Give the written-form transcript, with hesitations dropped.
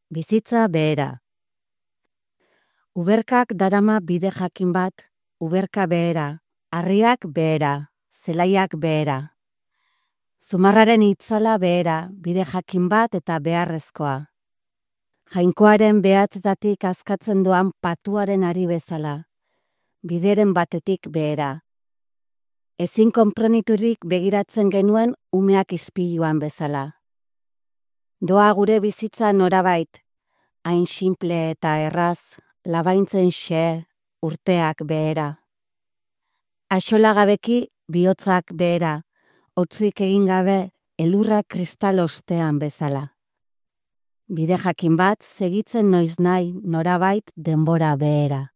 Bizitza behera. Uberkak darama bide jakin bat, uberka behera, harriak behera, zelaiak behera. Zumarraren itzala behera, bide jakin bat eta beharrezkoa. Jainkoaren behatzetatik askatzen doan patuaren ari bezala, bideren batetik behera. Ezin konpreniturik begiratzen genuen umeak ispiluan bezala. Doa gure bizitza norabait, hain simple eta erraz, labaintzen xe, urteak behera. Axolagabeki bihotzak behera, hotzik egin gabe elurra kristal ostean bezala. Bide jakin bat segitzen noiz nahi norabait denbora behera.